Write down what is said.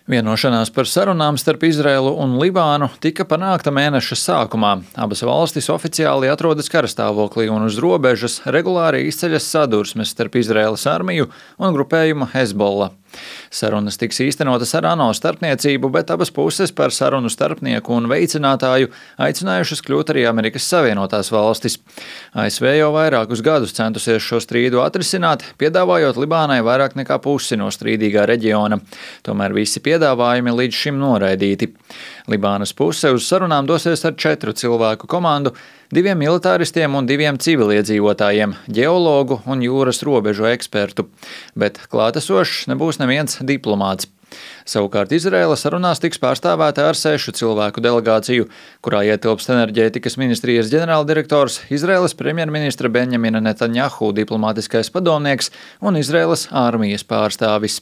Vienošanās par sarunām starp Izraēlu un Libānu tika panākta mēneša sākumā. Abas valstis oficiāli atrodas karastāvoklī un uz robežas regulāri izceļas sadursmes starp Izraēlas armiju un grupējumu Hezbollah. Sarunas tiks īstenotas ar ANO starpniecību, bet abas puses par sarunu starpnieku un veicinātāju aicinājušas kļūt arī Amerikas Savienotās valstis. ASV jau vairākus gadus centusies šo strīdu atrisināt, piedāvājot Libānai vairāk nekā pusi no strīdīgā reģiona. Tomēr visi piedāvājumi līdz šim noraidīti. Libānas puse uz sarunām dosies ar 4 cilvēku komandu, 2 militāristiem un 2 civiliedzīvotājiem, ģeologu un jūras robežu ekspertu. Bet klātesošs nebūs neviens diplomāts. Savukārt Izraēla sarunās tiks pārstāvēta ar 6 cilvēku delegāciju, kurā ietilpst enerģētikas ministrijas ģenerāldirektors, Izraēlas premjerministra Benjamina Netanjahu diplomātiskais padomnieks un Izraēlas armijas pārstāvis.